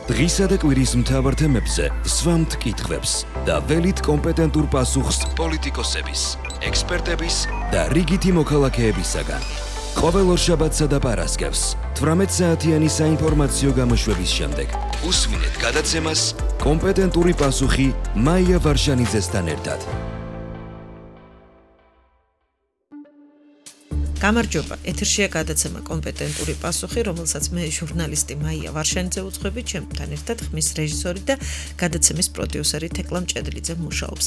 დღისა და კვირის მთავარ თემებზე სვამთ კითხვებს და ველით კომპეტენტურ პასუხს პოლიტიკოსების, ექსპერტების და რიგითი მოქალაქეებისაგან. ყოველ ორშაბათსა და პარასკევს 18 საათიანი საინფორმაციო გამოშვების შემდეგ უსმინეთ გადაცემას კომპეტენტური პასუხი მაია ვარშანიძესთან ერთად. გამარჯობა, ეთერშია გადაცემა კომპეტენტური პასუხი, რომელსაც მე ჟურნალისტი მაია ვარშანიძე უძღვები, ჩემთან ერთად ხმის რეჟისორი და გადაცემის პროდიუსერი თეკლა მჭედლიძე მუშაობს.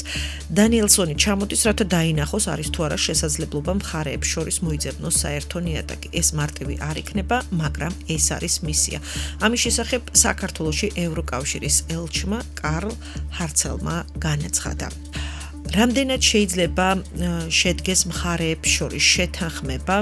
დანიელსონი ჩამოდის, რათა დაინახოს არის თუ არა შესაძლებლობა მხარეებს შორის მოიძებნოს საერთო ნიადაგი. ეს მარტივი არ იქნება, მაგრამ ეს არის მისია. ამის შესახებ საქართველოში ევროკავშირის ელჩმა კარლ ჰარცელმა განაცხადა. რამდენად შეიძლება შედგეს მხარეებს შორის შეთანხმება,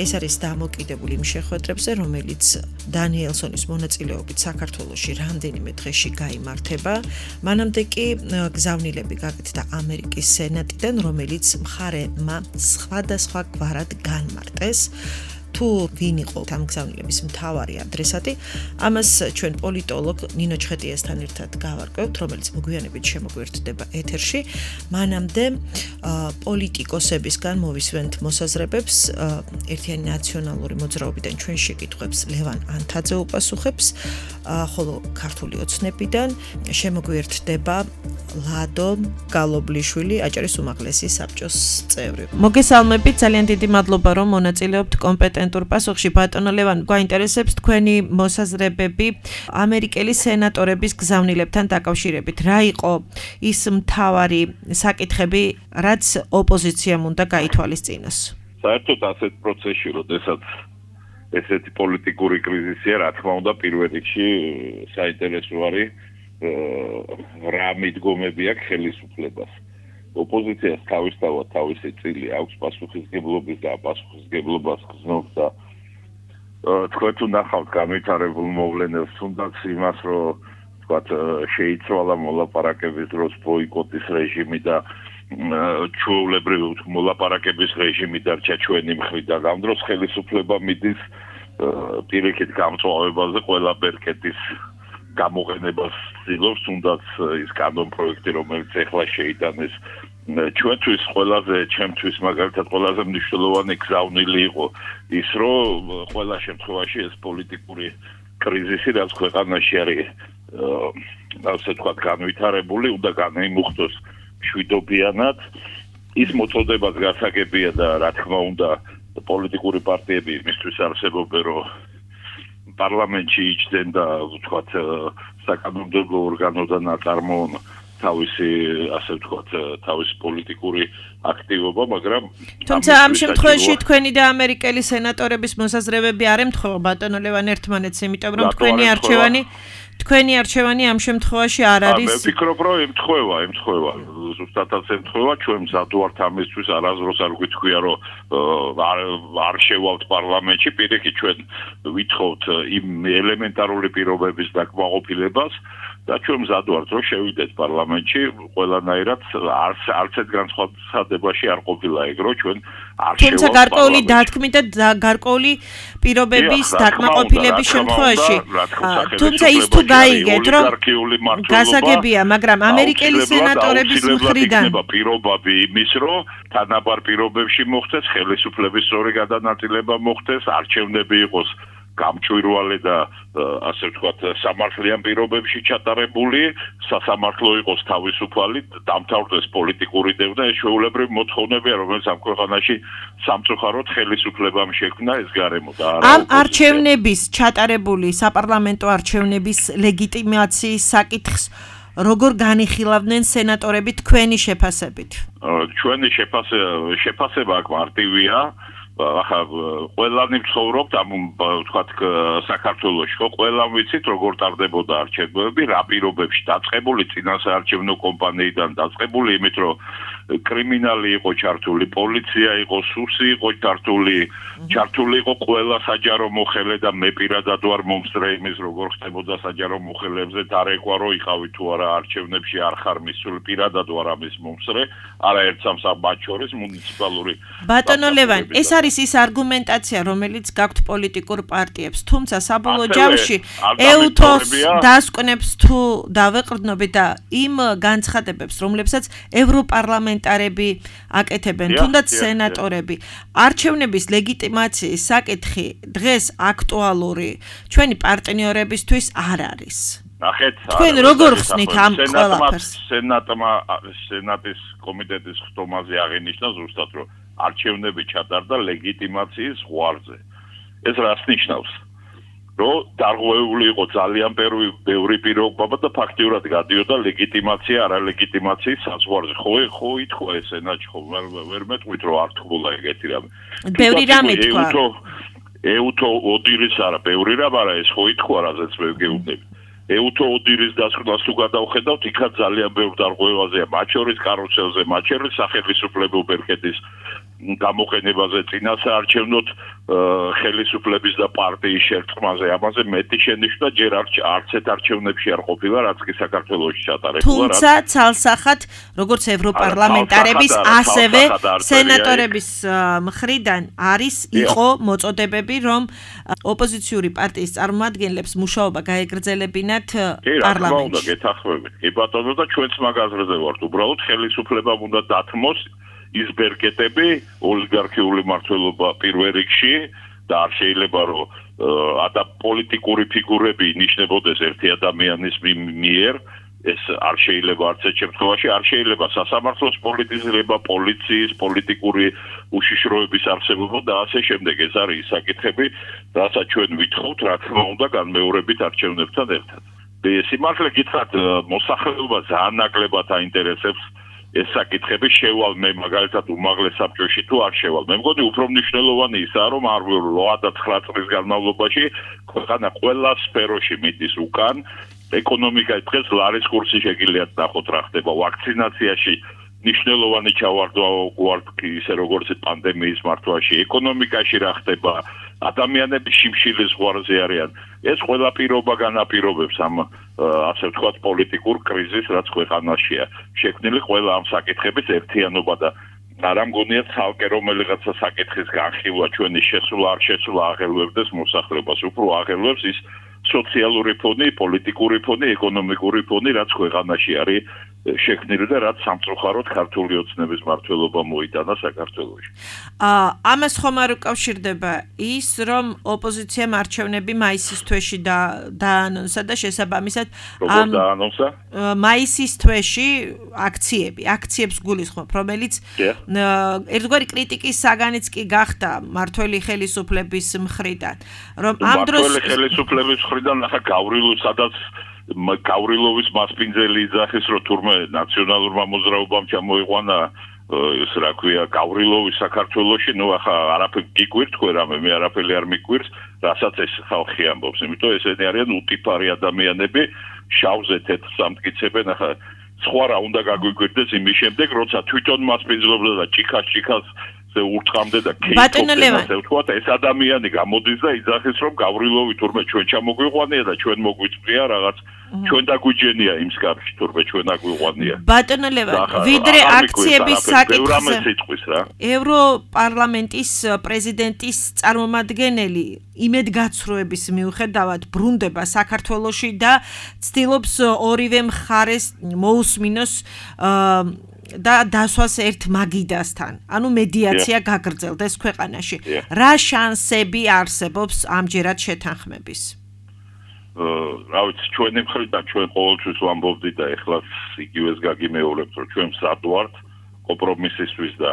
ეს არის დამოკიდებული იმ შეხვედრებზე, რომელიც დანიელსონის მონაწილეობით საქართველოში რამდენიმე დღეში გაიმართება. მანამდე კი გზავნილები გაკეთდა ამერიკის სენატიდან, რომელიც მხარეებმა სხვადასხვა გვარად განმარტეს. თუ ვინ იყო ამ გზავნილების მთავარი ადრესატი, ამას ჩვენ პოლიტოლოგ ნინო ჩხეტიასთან ერთად გავარკვევთ, რომელიც მოგვიანებით შემოგვერთდება ეთერში. მანამდე პოლიტიკოსებისგან მოვისვენთ მოსაზრებებს, ერთიანი ნაციონალური მოძრაობიდან ჩვენ შეკითხვებს ლევან ანთაძე უპასუხებს, ხოლო ქართული ოცნებიდან შემოგვერთდება ლადო გალობლიშვილი, აჭარის უმაღლესი საბჭოს წევრი. მოგესალმებით, ძალიან დიდი მადლობა, რომ მონაწილეობთ კომპეტენტურ პასუხში. ბატონო ლევან, გვაინტერესებს თქვენი მოსაზრებები ამერიკელი სენატორების გზავნილებთან დაკავშირებით. რა იყო ის მთავარი საკითხები, რაც ოპოზიციამ უნდა გაითვალისწინოს? საერთოდ ასეთ პროცესში, როდესაც ესეთი პოლიტიკური კრიზისია, რა თქმა უნდა, პირველ რიგში საინტერესო არის რა მიდგომები აქვს ხელისუფლებას. ოპოზიციას თავისთავად თავისი წილი აქვს პასუხისმგებლობის და პასუხისმგებლობას გზნობს და თქვენ თუ ნახავთ განვითარებულ მოვლენებს, თუნდაც იმას, რომ თქვათ შეიცვალა მოლაპარაკების დროს ბოიკოტის რეჟიმი და ჩვეულებრივი მოლაპარაკების რეჟიმი დარჩა ჩვენი მხრიდან. ამ დროს ხელისუფლება მიდის პირიქით გამწვავებაზე ყველა ბერკეტის გამოყენებას ცდილობს, თუნდაც ის კანონ პროექტი, რომელიც ეხლა შეიტანეს ჩვენთვის ჩემთვის მაგალითად ყველაზე მნიშვნელოვანი გზავნილი იყო ის, რომ ყველა შემთხვევაში ეს პოლიტიკური კრიზისი, რაც ქვეყანაში არის, ასე ვთქვათ, განვითარებული, უნდა განიმუხტოს მშვიდობიანად. ის მოწოდებაც გასაგებია და რა თქმა უნდა, პოლიტიკური პარტიები იმისთვის არსებობენ, რომ პარლამენტში იჯდნენ და ვთქვათ საკანონმდებლო ორგანოდან აწარმოონ თავისი, ასე ვთქვათ, თავისი პოლიტიკური აქტივობა, მაგრამ თუმცა ამ შემთხვევაში თქვენი და ამერიკელი სენატორების მოსაზრებები არ ემთხვევა ბატონო ლევან ერთმანეთს, იმიტომ რომ თქვენი არჩევანი ამ შემთხვევაში არ არის. მე ვფიქრობ, რომ ემთხვევა. ზუსტადაც ემთხვევა, ჩვენ მზად ვართ ამისთვის, არასდროს არ გვითქვია, რომ არ შევავთ პარლამენტში, პირიქით ჩვენ ვითხოვთ იმ ელემენტარული პირობების დაკმაყოფილებას და ჩვენ მზად ვართ, რომ შევიდეთ პარლამენტში, ყველანაირად არც ერთ განცხადებაში არ ყოფილა ეგ, რომ ჩვენ არ შევავთ. თუმცა გარკვეული დათქმით და გარკვეული პირობების დაკმაყოფილების შემთხვევაში, თუმცა ის თუ გაიგეთ, რომ გასაგებია, მაგრამ ამერიკელი სენატორების მხრიდან პირობები იმის, რომ თანაბარ პირობებში მოხდეს ხელისუფლების სწორი გადანაწილება მოხდეს, არჩევნები იყოს გამჭვირვალე და ასე ვთქვათ, სამართლიან პირობებში ჩატარებული, სასამართლო იყოს თავისუფალი, დამთავრდეს პოლიტიკური დევნა, ეს ჩვეულებრივი მოთხოვნებია, რომელიც ამ ქვეყანაში სამწუხაროდ ხელისუფლებამ შექმნა ეს გარემო და არა ამ არჩევნების ჩატარებული საპარლამენტო არჩევნების ლეგიტიმაციის საკითხს როგორ განიხილავდნენ სენატორები თქვენი შეფასებით? ჩვენი შეფასება აქ მარტივია. ახლა ყველანი ვცხოვრობთ ამ ვთქვათ საქართველოში, ხო, ყველამ ვიცით როგორ ტარდებოდა არჩევნები, რა პირობებში დაწყებული წინასაარჩევნო კომპანიიდან დაწყებული, იმით რომ კრიმინალი იყო ჩართული, პოლიცია იყო, სუსი იყო ჩართული იყო ყველა საჯარო მოხელე და მე პირადად ვარ მომსწრე იმის როგორ ხდებოდა საჯარო მოხელეებზე და რეკვა რო იყავი თუ არა არჩევნებში არ ხარ მისული პირადად ვარ ამის მომსწრე, არაერთ სამსაბათ შორის მუნიციპალური ბატონო ლევან, ეს არის ის არგუმენტაცია, რომელიც გაქვთ პოლიტიკურ პარტიებს, თუმცა საბოლოო ჯამში ეუთოს დასკვნებს თუ დავეყრდნობით და იმ განცხადებებს, რომლებსაც ევროპარლამენტარები აკეთებენ, თუნდაც სენატორები, არჩევნების ლეგიტიმაციის საკითხი დღეს აქტუალური ჩვენი პარტნიორებისთვის არ არის. ნახეთ, თქვენ როგორ ხსნით ამ ყველაფერს? სენატის კომიტეტის ხტომაზე აღინიშნა ზუსტად, რომ არჩევნები ჩატარდა ლეგიტიმაციის ზღვარზე. ეს რას ნიშნავს? რომ დარღვეული იყო ძალიან ბევრი პიროვნება და ფაქტიურად გადიოდა ლეგიტიმაცია არალეგიტიმაციის საზღვარზე. ხო ითქვა ეს სენატში, ხო ვერ მეტყვით რომ არ თქულა ეგეთი რამე. ბევრი რამე თქვა. ეუთო ოდირის არა, ბევრი რამე არა, ეს ხო ითქვა, რაზეც მე გეუბნები. ეუთო ოდირის დასკვნას თუ გადავხედავთ, იქაც ძალიან ბევრ დარღვევაზეა, მათ შორის კარუსელზე, მათ შორის სახელმწიფო ბერკეთის გამოყენებაზე, წინასაარჩევნოდ ხელისუფლების და პარტიის შერწყმაზე, ამაზე მეტი შენიშვნა ჯერ არც ერთ არჩევნებში არ ყოფილა, რაც კი საქართველოში ჩატარებულა. თუმცა ცალსახად, როგორც ევროპარლამენტარების, ასევე სენატორების მხრიდან იყო მოწოდებები, რომ ოპოზიციური პარტიის წარმომადგენლებს მუშაობა გაეგრძელებინათ პარლამენტში. უნდა გეთანხმებით. კი ბატონო და ჩვენც მაგაზრზე ვართ. უბრალოდ ხელისუფლებამ უნდა დათმოს ის ბერკეტები, ოლიგარქიული მმართველობა პირველ რიგში და არ შეიძლება რომ პოლიტიკური ფიგურები ინიშნებოდეს ერთი ადამიანის მიერ, ეს არ შეიძლება არც ერთ შემთხვევაში, არ შეიძლება სასამართლოს პოლიტიზება, პოლიციის, პოლიტიკური უშიშროების არსებობა და ასე შემდეგ. ეს არის ის საკითხები, რასაც ჩვენ ვითხოვთ, რა თქმა უნდა, განმეორებით არჩევნებთან ერთად. სიმართლე გითხრათ, მოსახლეობა ძალიან ნაკლებად აინტერესებს ეს საკითხები შევალ მე მაგალითად უმაღლეს საბჭოში თუ არ შევალ. მე მგონი უფრო მნიშვნელოვანი ისაა, რომ არ 8-9 წლის განმავლობაში ქვეყანა ყველა სფეროში მიდის უკან. ეკონომიკა დღეს ლარის კურსი შეგიძლიათ ნახოთ რა ხდება. ვაქცინაციაში მნიშვნელოვანი ჩავარდვა გვაქვს ისე როგორც პანდემიის მართვაში, ეკონომიკაში რა ხდება, ადამიანები შიმშილის ზღვარზე არიან. ეს ყველა პირობა განაპირობებს ამ ასე ვთქვათ პოლიტიკურ კრიზისს, რაც ქვეყანაშია. შექმნილი ყველა ამ საკითხების ერთიანობა და არა მგონია ცალკე რომელიღაცა საკითხის განხილვა ჩვენი შესვლა არ შესვლა აღელვებდეს მოსახლეობას, უფრო აღელვებს ის სოციალური ფონი, პოლიტიკური ფონი, ეკონომიკური ფონი, რაც ქვეყანაში არის შექმნილი და რაც სამწუხაროდ ქართული ოცნების მმართველობა მოიტანა საქართველოში. ამას ხომ არ უკავშირდება ის, რომ ოპოზიციამ არჩევნები მაისის თვეში დაანონსა და შესაბამისად როგორ დაანონსა? მაისის თვეში აქციებს გულისხმობ, რომელიც ერთგვარი კრიტიკის საგანიც კი გახდა მმართველი ხელისუფლების მხრიდან, რომ ამ დროს მმართველი ხელისუფლების მხრიდან ახლა გავრილოვის მასპინძელი იძახის, რომ თურმე ნაციონალურმა მოძრაობამ ჩამოიყვანა ეს რა ქვია გავრილოვის საქართველოში, ნუ ახლა არაფერი გიგვირთ თქვენ რამე, მე არაფერი არ მიგვირს, რასაც ეს ხალხი ამბობს, იმიტომ ესენი არიან უტიფარი ადამიანები, შავზე თეთრს ამტკიცებენ, ახლა სხვა რა უნდა გაგვიგვირდეს იმის შემდეგ, როცა თვითონ მასპინძლობდა და ჭიქას ურტყამდა და ქეითხოვდა ეს ადამიანი გამოდის და იძახის რომ გავრილოვი თურმე ჩვენ ჩამოგვიყვანია და ჩვენ მოგვიწვია რაღაც ჩვენ დაგვიჯენია იმ სკაფში თურმე ჩვენ აგვიყვანია. ბატონო ლევან, ვიდრე აქციების საკითხზე ევროპარლამენტის პრეზიდენტის წარმომადგენელი იმედგაცრუების მიუხედავად ბრუნდება საქართველოში და ცდილობს ორივე მხარეს მოусმინოს და დასვას ერთ მაგიდასთან. ანუ მედიაცია გაგრძელდეს ქვეყანაში. რა შანსები არსებობს ამჯერად შეთანხმების? რა ვიცი, ჩვენი მხრიდან ჩვენ ყოველთვის ვამბობდით და ეხლა იგივეს გაგიმეორებთ, რომ ჩვენ მსად ვართ კომპრომისისთვის და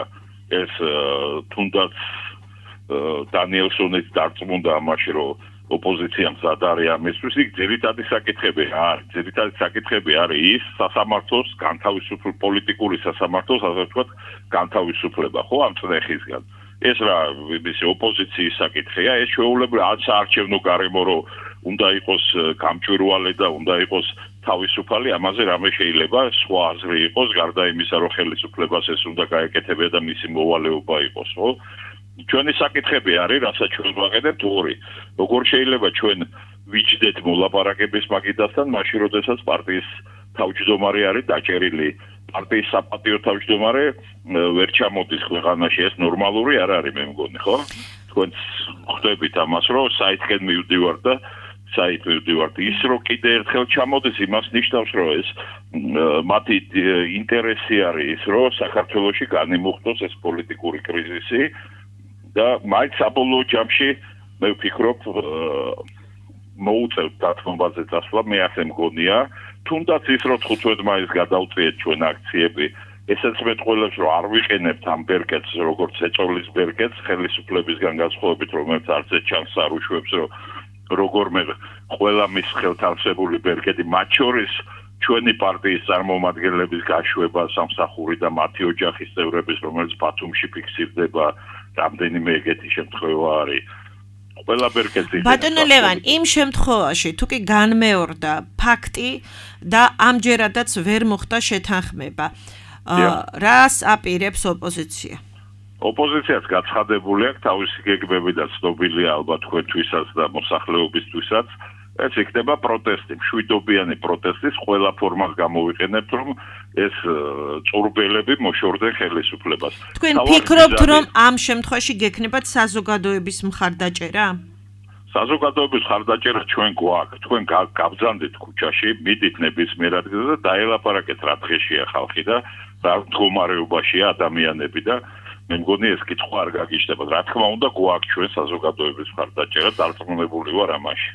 ეს თუნდაც დანიელსონიც დარწმუნდა ამაში, რომ ოპოზიცია მსად არის ამისთვის, იქ ძირითადი საკითხები არის ის სასამართლოს განთავისუფლება, პოლიტიკური სასამართლოს, ასე ვთქვათ, განთავისუფლება, ხო, ამ წნეხისგან. ეს რა, ოპოზიციის საკითხია, ეს შეუულებრივი საარჩევნო გარემო, რომ უნდა იყოს გამჭვირვალე და უნდა იყოს თავისუფალი, ამაზე რამე შეიძლება სხვა აზრი იყოს, გარდა იმისა, რომ ხელისუფლებას ეს უნდა გაეკეთებინა და მისი მოვალეობა იყოს, ხო? ჩვენი საკითხები არის, რასაც ჩვენ ვაკეთებთ ორი. როგორ შეიძლება ჩვენ ვიჯდეთ მოლაპარაკების მაგიდასთან, მაშინ როდესაც პარტიის თავმჯდომარე არის დაჭერილი, პარტიის საპატიო თავმჯდომარე ვერ ჩამოდის ქვეყანაში, ეს ნორმალური არ არის, მე მგონი, ხო? თქვენ ხვდებით ამას, რომ საითკენ მივდივართ და საით მივდივართ. ის რომ კიდე ერთხელ ჩამოდეს, იმას ნიშნავს, რომ ეს მათი ინტერესი არის ის, რომ საქართველოში განიმუხტოს ეს პოლიტიკური კრიზისი და მაინც საბოლოო ჯამში მე ვფიქრობ მოუწევთ დათმობაზე წასვლა, მე ასე მგონია, თუნდაც ის რომ 15 მაისს გადავწიეთ ჩვენ აქციები, ესეც მეტყველებს რომ არ ვიყენებთ ამ ბერკეტს როგორც ეწოლის ბერკეტს ხელისუფლებისგან განსხვავებით, რომელიც არც ერთ ჩანს არ უშვებს, რომ როგორმე ყველა მის ხელთავსებული ბერკეტი მათ შორის ჩვენი პარტიის წარმომადგენლების გაშვება სამსახური და მათი ოჯახის წევრების, რომელიც ბათუმში ფიქსირდება, რამდენიმე ეგეთი შემთხვევა არის. ყველა ბერკეტი. ბატონო ლევან, იმ შემთხვევაში თუ კი განმეორდა ფაქტი და ამჯერადაც ვერ მოხდა შეთანხმება, რას აპირებს ოპოზიცია? ოპოზიციაც გაცხადებული აქვს თავისი გეგმები და ცნობილია ალბათ თქვენთვისაც და მოსახლეობისთვისაც. ეს იქნება პროტესტი, მშვიდობიანი პროტესტის ყველა ფორმას გამოვიყენებთ, რომ ეს წურბელები მოშორდნენ ხელისუფლებას. თქვენ ფიქრობთ, რომ ამ შემთხვევაში გექნებათ საზოგადოების მხარდაჭერა? საზოგადოების მხარდაჭერა ჩვენ გვაქვს. თქვენ გაბრძანდით ქუჩაში, მიდით ნებისმიერ ადგილზე და დაელაპარაკეთ რა დღეშია ხალხი და რა მდგომარეობაშია ადამიანები და მე მგონი ეს კითხვა არ გაგიჩნდებათ. რა თქმა უნდა, გვაქვს ჩვენ საზოგადოების მხარდაჭერა, დარწმუნებული ვარ ამაში.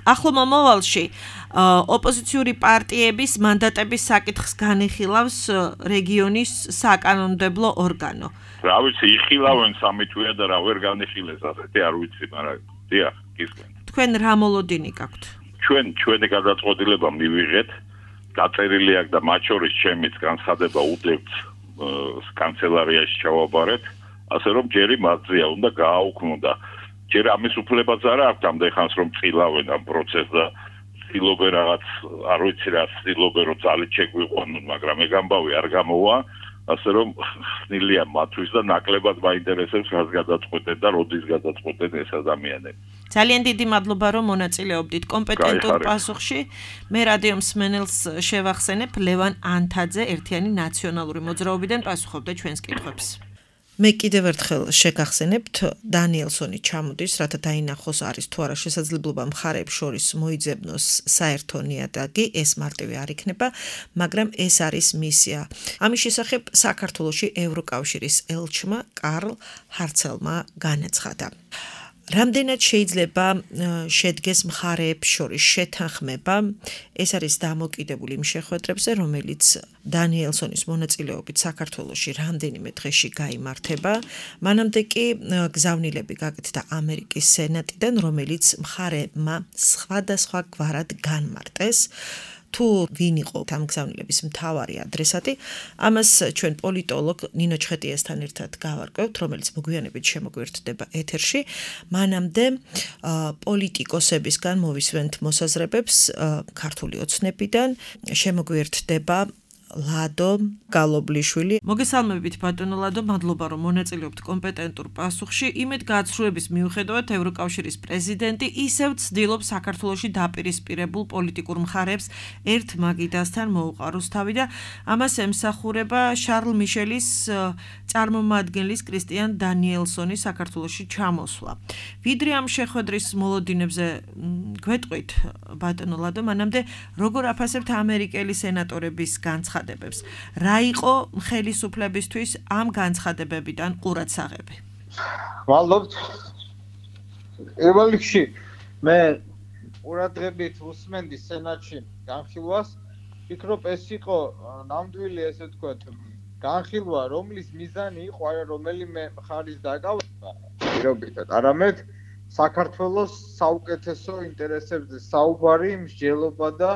ახლო მომავალში ოპოზიციური პარტიების მანდატების საკითხს განიხილავს რეგიონის საკანონმდებლო ორგანო. რა ვიცი, იხილავენ სამი თვეა და რა ვერ განიხილეს ასეთი, არ ვიცი, მაგრამ დიახ, გისმენთ. თქვენ რა მოლოდინი გაქვთ? ჩვენი გადაწყვეტილება მივიღეთ, დაწერილი აქვს და მათ შორის ჩემიც განცხადება უდევთ კანცელარიაში ჩავაბარეთ, ასე რომ ჯერი მათზეა უნდა გააუქმო და ჯერ ამის უფლებაც არ აქვს ამდენ ხანს რომ წილავენ ამ პროცესს და ცდილობენ რაღაც არ ვიცი რა ცდილობენ რომ ძალით შეგვიყვანონ, მაგრამ ეგ ამბავი არ გამოვა, ასე რომ ხნილია მათთვის და ნაკლებად მაინტერესებს რას გადაწყვეტენ და როდის გადაწყვეტენ ეს ადამიანები. ძალიან დიდი მადლობა რომ მონაწილეობდით კომპეტენტურ პასუხში. მე რადიო მსმენელს შევახსენებ, ლევან ანთაძე ერთიანი ნაციონალური მოძრაობიდან პასუხობდა ჩვენს კითხვებს. მე კიდევ ერთხელ შეგახსენებთ, დანიელსონი ჩამოდის, რათა დაინახოს არის თუ არა შესაძლებლობა მხარეებს შორის მოიძებნოს საერთო ნიადაგი, ეს მარტივი არ იქნება, მაგრამ ეს არის მისია. ამის შესახებ საქართველოში ევროკავშირის ელჩმა კარლ ჰარცელმა განაცხადა. რამდენად შეიძლება შედგეს მხარეებს შორის შეთანხმება, ეს არის დამოკიდებული იმ შეხვედრებზე, რომელიც დანიელსონის მონაწილეობით საქართველოში რამდენიმე დღეში გაიმართება. მანამდე კი გზავნილები გაკეთდა ამერიკის სენატიდან, რომელიც მხარეებმა სხვადასხვა გვარად განმარტეს. თუ ვინ იყო ამ გზავნილების მთავარი ადრესატი, ამას ჩვენ პოლიტოლოგ ნინო ჩხეტიესთან ერთად გავარკვევთ, რომელიც მოგვიანებით შემოგვიერთდება ეთერში. მანამდე პოლიტიკოსებისგან მოვისვენთ მოსაზრებებს ქართული ოცნებიდან, შემოგვიერთდება ლადო გალობლიშვილი. მოგესალმებით ბატონო ლადო, მადლობა რომ მონაწილეობთ კომპეტენტურ პასუხში. იმედ გაცხრუების მიუხედავად ევროკავშირის პრეზიდენტი ისევ ცდილობს საქართველოში დაპირისპირებულ პოლიტიკურ მხარეებს ერთ მაგიდასთან მოუყაროს თავი და ამას ემსახურება შარლ მიშელის წარმომადგენლის კრისტიან დანიელსონის საქართველოში ჩამოსვლა. ვიდრე ამ შეხვედრის მოლოდინებზე გვეტყვით ბატონო ლადო, მანამდე როგორ აფასებთ ამერიკელი სენატორების განცხადებებს? რა იყო ხელისუფლებისთვის ამ განცხადებებიდან ყურადსაღები? მადლობთ. პირველ რიგში მე ყურადღებით უსმენდი სენატში განხილვას. ვფიქრობ ეს იყო ნამდვილი, ესე ვთქვათ, განხილვა, რომლის მიზანი იყო არა რომელიმე მხარის დაკავება პირობითად, არამედ საქართველოს საუკეთესო ინტერესებზე საუბარი, მსჯელობა და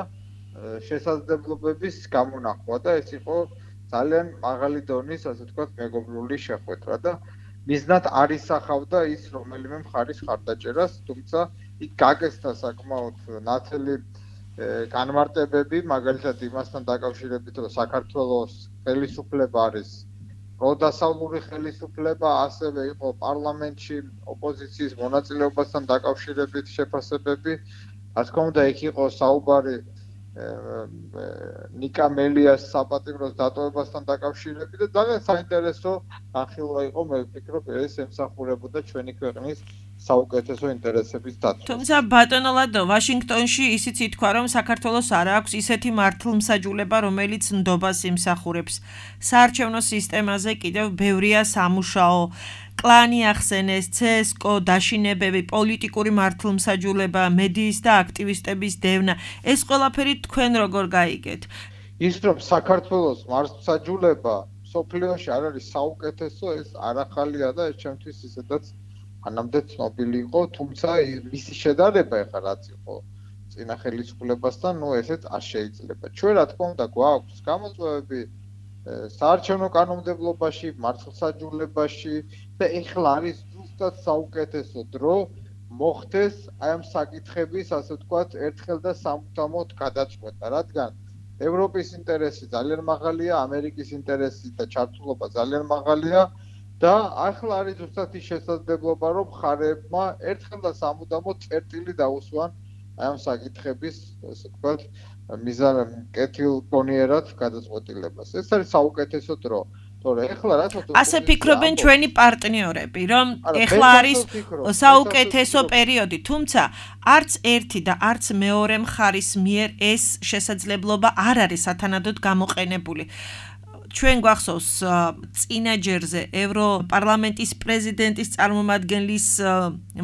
შესაძლებლობების გამონახვა და ეს იყო ძალიან მაღალი დონის, ასე ვთქვათ, მეგობრული შეხვედრა და მიზნად არ ისახავდა ის რომელიმე მხარის ხარდაჭერას, თუმცა იქ გაკეთდა საკმაოდ ნათელი განმარტებები, მაგალითად იმასთან დაკავშირებით, რომ საქართველოს ხელისუფლება არის პროდასავლური ხელისუფლება, ასევე იყო პარლამენტში ოპოზიციის მონაწილეობასთან დაკავშირებით შეფასებები. რა თქმა უნდა, იქ იყო საუბარი ნიკა მელიას საპატიმროს დატოვებასთან დაკავშირებით და ძალიან საინტერესო განხილვა იყო, მე ვფიქრობ, ეს ემსახურებოდა ჩვენი ქვეყნის საუკეთესო ინტერესების დაცვას. თუმცა ბატონო ლადო, ვაშინგტონში ისიც ითქვა, რომ საქართველოს არ აქვს ისეთი მართლმსაჯულება, რომელიც ნდობას იმსახურებს. საარჩევნო სისტემაზე კიდევ ბევრია სამუშაო. კლანი ახსენეს, CSKO დაშინებები, პოლიტიკური მართლმსაჯულება, მედიის და აქტივისტების დევნა. ეს ყველაფერი თქვენ როგორ გაიგეთ? ის რომ საქართველოს მართლმსაჯულება სოფლიოში არ არის საუკეთესო, ეს არ ახალია და ეს ჩემთვის ისედაც ანამდე ცნობილი იყო, თუმცა მისი შედარება ეხლა რაც იყო წინა ხელისუფლებასთან, ესეც არ შეიძლება. ჩვენ რა თქმა უნდა გვაქვს გამოწვევები საარჩევნო კანონმდებლობაში, მართლმსაჯულებაში და ეხლა არის ზუსტად საუკეთესო დრო მოხდეს აი ამ საკითხების, ასე ვთქვათ, ერთხელ და სამუდამოდ გადაწყვეტა, რადგან ევროპის ინტერესი ძალიან მაღალია, ამერიკის ინტერესი და ჩართულობა ძალიან მაღალია და ახლა არის ზუსტად ის შესაძლებლობა, რომ მხარეებმა ერთხელ და სამუდამოდ წერტილი დაუსვან აი ამ საკითხების, ასე ვთქვათ, კეთილგონიერად გადაწყვეტილებას. ეს არის საუკეთესო დრო. თორე ეხლა რატო ასე ფიქრობენ ჩვენი პარტნიორები, რომ ეხლა არის საუკეთესო პერიოდი, თუმცა არც ერთი და არც მეორე მხარის მიერ ეს შესაძლებლობა არ არის სათანადოდ გამოყენებული. ჩვენ გვახსოვს წინაჯერზე ევროპარლამენტის პრეზიდენტის წარმომადგენლის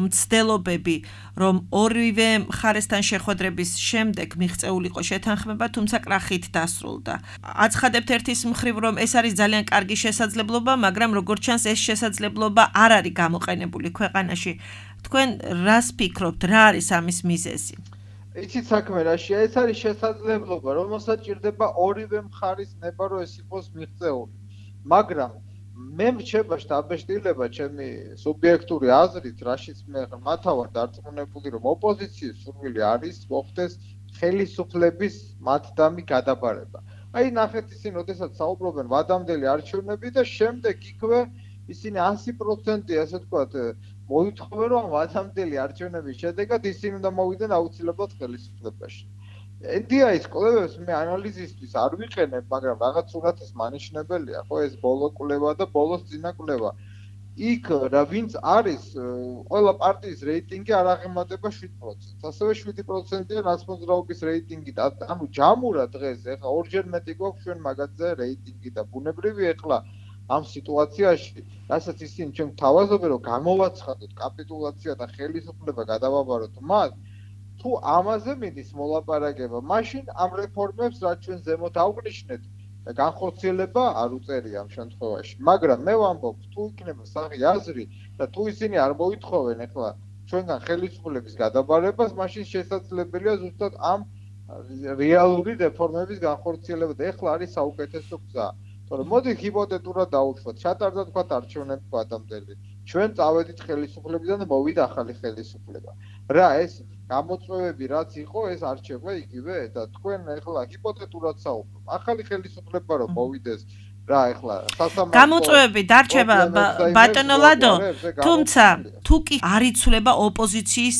მცდელობები, რომ ორივე მხარესთან შეხვედრების შემდეგ მიღწეულიყო შეთანხმება, თუმცა კრახით დასრულდა. აცხადებთ ერთის მხრივ, რომ ეს არის ძალიან კარგი შესაძლებლობა, მაგრამ როგორც ჩანს, ეს შესაძლებლობა არ არის გამოყენებული ქვეყანაში. თქვენ რას ფიქრობთ, რა არის ამის მიზეზი? იცით საქმე რაშია, ეს არის შესაძლებლობა, რომელსაც ჭირდება ორივე მხარის ნება, რომ ეს იყოს მიღწეული. მაგრამ მე მრჩება შტაბეშტილება ჩემი სუბიექტური აზრით, რაშიც მე მათავარ დარწმუნებული, რომ ოპოზიციის სურვილი არის მოხდეს ხელისუფლების მათდამი გადაბარება. აი ნახეთ ისინი, როდესაც საუბრობენ ვადამდელი არჩევნები და შემდეგ იქვე ისინი 100% ასე ვთქვათ მოითხოვენ, რომ ვადამდელი არჩევნების შედეგად ისინი უნდა მოვიდნენ აუცილებლად ხელისუფლებაში. NDI-ის კვლევებს მე ანალიზისთვის არ ვიყენებ, მაგრამ რაღაც სურათის მანიშნებელია, ხო, ეს ბოლო კვლევა და ბოლოს წინა კვლევა. იქ რა ვინც არის, ყველა პარტიის რეიტინგი არ აღემატება 7%. ასევე 7%-ია ნაცმოძრაობის რეიტინგი და ანუ ჯამურა დღეს ეხლა ორჯერ მეტი გვაქვს ჩვენ მაგაზე რეიტინგი და ბუნებრივი ეხლა ამ სიტუაციაში, რასაც ისინი ჩვენ თავაზობენ, რომ გამოვაცხადოთ კაპიტულაცია და ხელისუფლება გადავაბაროთ მას, თუ ამაზე მიდის მოლაპარაკება, მაშინ ამ რეფორმებს რაც ჩვენ ზემოთ აღვნიშნეთ, განხორციელება არ უწერია ამ შემთხვევაში. მაგრამ მე ვამბობ, თუ იქნება სახი აზრი და თუ ისინი არ მოითხოვენ ახლა ჩვენგან ხელისუფლების გადაბარებას, მაშინ შესაძლებელია ზუსტად ამ რეალური რეფორმების განხორციელება და ახლა არის საუკეთესო გზა. თორემ მოდი ჰიპოთეტურად დავუშვათ, ჩატარდა თქვა არჩევნები ვადამდელი. ჩვენ წავედით ხელისუფლებიდან და მოვიდა ახალი ხელისუფლება. რა ეს გამოწვევები რაც იყო, ეს არჩევა იგივე და თქვენ ახლა ჰიპოთეტურად საუბრობ. ახალი ხელისუფლება რომ მოვიდეს, რა ახლა სასამართლო გამოწვევები დარჩება ბატონო ლადო, თუმცა თუ კი არ იცვლება ოპოზიციის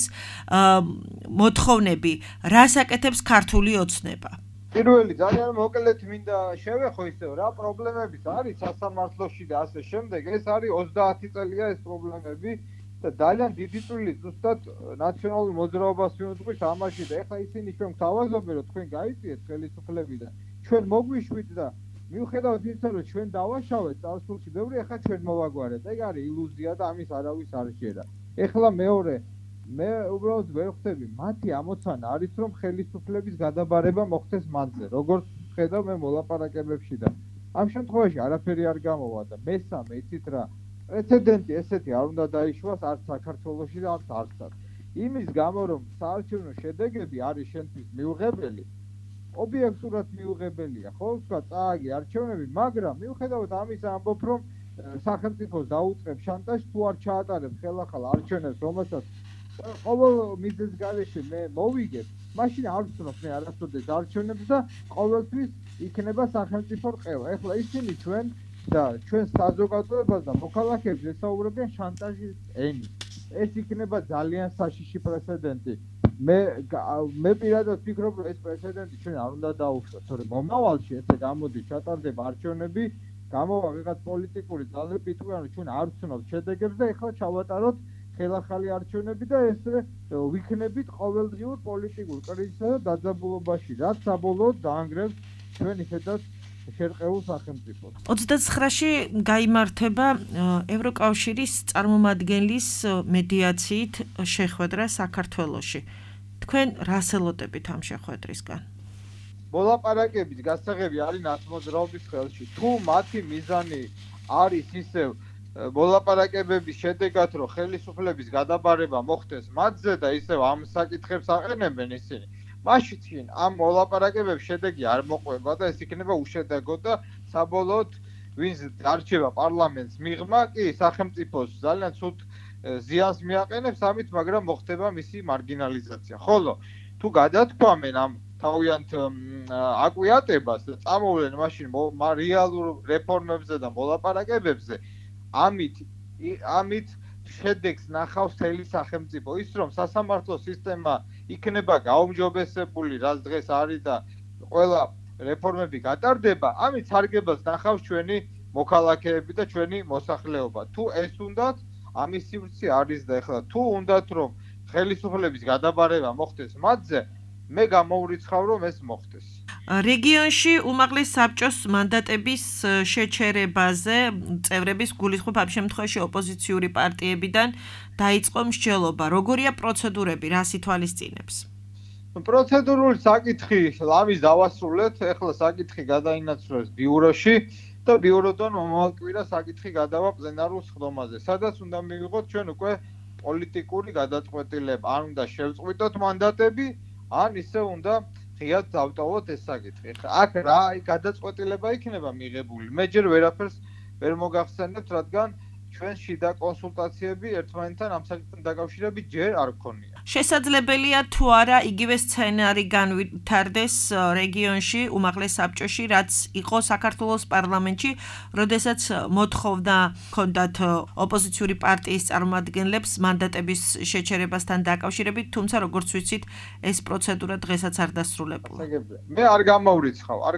მოთხოვნები, რას აკეთებს ქართული ოცნება? პირველი ძალიან მოკლედ მინდა შევეხო ისევ რა პრობლემებიც არის სასამართლოში და ასე შემდეგ, ეს არის 30 წელია ეს პრობლემები და ძალიან დიდი წვლილი ზუსტად ნაციონალურ მოძრაობას მიუძღვის ამაში და ეხლა ისინი ჩვენ გვთავაზობენ, რომ თქვენ გაიწიეთ ხელისუფლებიდან, ჩვენ მოგვიშვით და მიუხედავად იმისა, რომ ჩვენ დავაშავეთ წარსულში, ბევრი ეხლა ჩვენ მოვაგვარეთ. ეგ არის ილუზია და ამის არავის არ შეერა. ეხლა მეორე მე უბრალოდ ვერ ხვდები, მათი ამოცანა არის, რომ ხელისუფლების გადაბარება მოხდეს მათზე, როგორც ხედავ მე მოლაპარაკებებში და ამ შემთხვევაში არაფერი არ გამოვა და მესამე იცით რა, პრეცედენტი ესეთი არ უნდა დაიშვას არც საქართველოში და არც არცად. იმის გამო, რომ საარჩევნო შედეგები არის შენთვის მიუღებელი, ობიექტურად მიუღებელია, ხო, თქვა წააგე არჩევნები, მაგრამ მიუხედავად ამისა ამბობ, რომ სახელმწიფოს დაუწყებ შანტაჟს თუ არ ჩაატარებს ხელახალ არჩევნებს, რომელსაც ყოველ მიზეზ გარეშე მე მოვიგებ, მაშინ არ ვცნობ მე არასოდეს არჩევნებს და ყოველთვის იქნება სახელმწიფო რყევა. ეხლა ისინი ჩვენ და ჩვენ საზოგადოებას და მოქალაქეებს ესაუბრებიან შანტაჟის ენით. ეს იქნება ძალიან საშიში პრეცედენტი. მე პირადად ვფიქრობ, რომ ეს პრეცედენტი ჩვენ არ უნდა დაუშვათ, თორემ მომავალში ესე გამოდის ჩატარდება არჩევნები, გამოვა ვიღაც პოლიტიკური ძალები იტყვიან, რომ ჩვენ არ ვცნობთ შედეგებს და ეხლა ჩავატაროთ ხელახალი არჩევნები და ესე ვიქნებით ყოველდღიურ პოლიტიკურ კრიზისსა და დაძაბულობაში, რაც საბოლოოდ დაანგრევს ჩვენი ხედავს შერყეულ სახელმწიფოს. 29-ში გაიმართება ევროკავშირის წარმომადგენლის მედიაციით შეხვედრა საქართველოში. თქვენ რას ელოდებით ამ შეხვედრისგან? მოლაპარაკების გასაღები არის ნაცმოძრაობის ხელში. თუ მათი მიზანი არის ისევ მოლაპარაკებების შედეგად, რომ ხელისუფლების გადაბარება მოხდეს მათზე და ისევ ამ საკითხებს აყენებენ ისინი, მაშინ ამ მოლაპარაკებების შედეგი არ მოყვება და ეს იქნება უშედეგო და საბოლოოდ ვინც არჩევა პარლამენტს მიღმა, კი სახელმწიფოს ძალიან ცუდ ზიანს მიაყენებს ამით, მაგრამ მოხდება მისი მარგინალიზაცია. ხოლო თუ გადათქვამენ ამ თავიანთ აკვიატებას და წამოვლენ მაშინ რეალურ რეფორმებზე და მოლაპარაკებებზე, ამით შედეგს ნახავს მთელი სახელმწიფო. ის რომ სასამართლო სისტემა იქნება გაუმჯობესებული, რაც დღეს არის და ყველა რეფორმები გატარდება, ამით სარგებას ნახავს ჩვენი მოქალაქეები და ჩვენი მოსახლეობა. თუ ეს უნდათ, ამის სივრცე არის და ეხლა თუ უნდათ რომ ხელისუფლების გადაბარება მოხდეს მათზე, მე გამოვრიცხავ რომ ეს მოხდეს. რეგიონში უმაღლეს საბჭოს მანდატების შეჩერებაზე წევრების გულისხმობ ამ შემთხვევაში ოპოზიციური პარტიებიდან დაიწყო მსჯელობა. როგორია პროცედურები, რას ითვალისწინებს? პროცედურული საკითხი ამის დავასრულეთ, ეხლა საკითხი გადაინაცვლეს ბიუროში და ბიუროდან მომავალ კვირას საკითხი გადავა პლენარულ სხდომაზე, სადაც უნდა მივიღოთ ჩვენ უკვე პოლიტიკური გადაწყვეტილება, ან უნდა შევწყვიტოთ მანდატები, ან ისე უნდა ღიად დავტოვოთ ეს საკითხი. აქ რა გადაწყვეტილება იქნება მიღებული? მე ჯერ ვერაფერს ვერ მოგახსენებთ, რადგან ჩვენ შიდა კონსულტაციები ერთმანეთთან ამ საკითხთან დაკავშირებით ჯერ არ გქონია. შესაძლებელია თუ არა იგივე სცენარი განვითარდეს რეგიონში, უმაღლეს საბჭოში, რაც იყო საქართველოს პარლამენტში, როდესაც მოთხოვნა ჰქონდათ ოპოზიციური პარტიის წარმომადგენლებს მანდატების შეჩერებასთან დაკავშირებით, თუმცა როგორც ვიცით, ეს პროცედურა დღესაც არ დასრულებულა. მე არ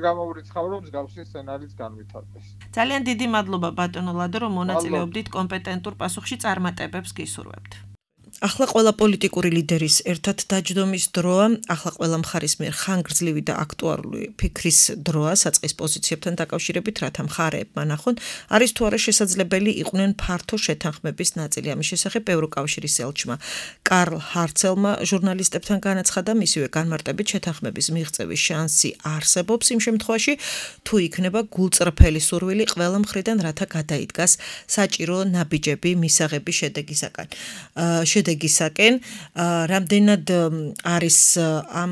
გამოვრიცხავ, რომ მსგავსი სცენარიც განვითარდეს. ძალიან დიდი მადლობა ბატონო ლადო, რომ მონაწილეობდით კომპეტენტურ პასუხში წარმატებებს გისურვებთ. ახლა ყველა პოლიტიკური ლიდერის ერთად დაჯდომის დროა, ახლა ყველა მხარის მიერ ხანგრძლივი და აქტუალური ფიქრის დროა საწყის პოზიციებთან დაკავშირებით, რათა მხარეებმა ნახონ, არის თუ არა შესაძლებელი იყვნენ ფართო შეთანხმების ნაწილი. ამის შესახებ ევროკავშირის ელჩმა კარლ ჰარცელმა ჟურნალისტებთან განაცხადა, მისივე განმარტებით შეთანხმების მიღწევის შანსი არსებობს იმ შემთხვევაში, თუ იქნება გულწრფელი სურვილი ყველა მხრიდან, რათა გადაიდგას საჭირო ნაბიჯები მისაღების შედეგისაკენ, რამდენად არის ამ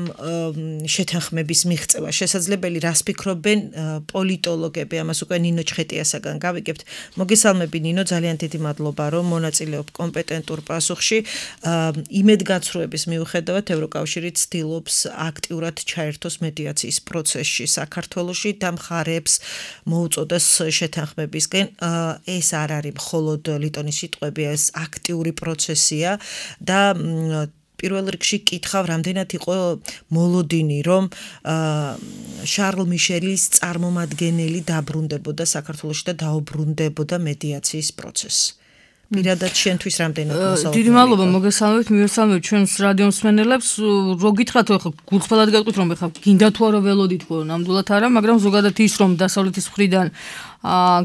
შეთანხმების მიღწევა შესაძლებელი, რას ფიქრობენ პოლიტოლოგები, ამას უკვე ნინო ჩხეტიასაგან გავიგებთ. მოგესალმები ნინო, ძალიან დიდი მადლობა, რომ მონაწილეობ კომპეტენტურ პასუხში. იმედგაცრუების მიუხედავად ევროკავშირი ცდილობს აქტიურად ჩაერთოს მედიაციის პროცესში საქართველოში და მხარეებს მოუწოდოს შეთანხმებისკენ. ეს არ არის მხოლოდ ლიტონის სიტყვები, ეს აქტიური პროცესია და პირველ რიგში კითხავ, რამდენად იყო მოლოდინი, რომ შარლ მიშელის წარმომადგენელი დაბრუნდებოდა საქართველოში და დაუბრუნდებოდა მედიაციის პროცესს. პირადად შენთვის რამდენად მოსალოდნელი? დიდი მადლობა, მოგესალმებით, მივესალმებით ჩვენს რადიო მსმენელებს. რო გითხრათ, ხო გულწრფელად გეტყვით, რომ ხა გინდა თუ არა ველოდით, ხო, ნამდვილად არა, მაგრამ ზოგადად ის, რომ დასავლეთის მხრიდან